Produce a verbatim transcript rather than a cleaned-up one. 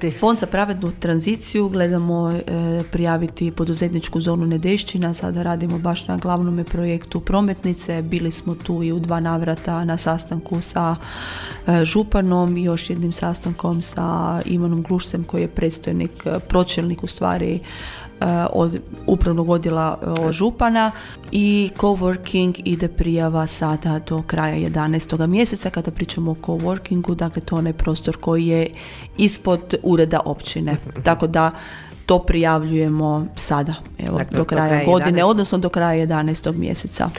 prijaviti? Fond za pravednu tranziciju gledamo e, prijaviti poduzetničku zonu Nedešćina. Sada radimo baš na glavnom projektu prometnice. Bili smo tu i u dva navrata na sastanku sa e, županom i još jednim sastankom sa Ivanom Glušcem koji je predstojnik, pročelnik u stvari od upravnog odjela o, župana, i coworking ide prijava sada do kraja jedanaestog mjeseca. Kada pričamo o coworkingu, dakle to je onaj prostor koji je ispod ureda općine. Tako da to prijavljujemo sada, evo, dakle, do kraja, do kraja godine, jedanaestog odnosno do kraja jedanaestog mjeseca.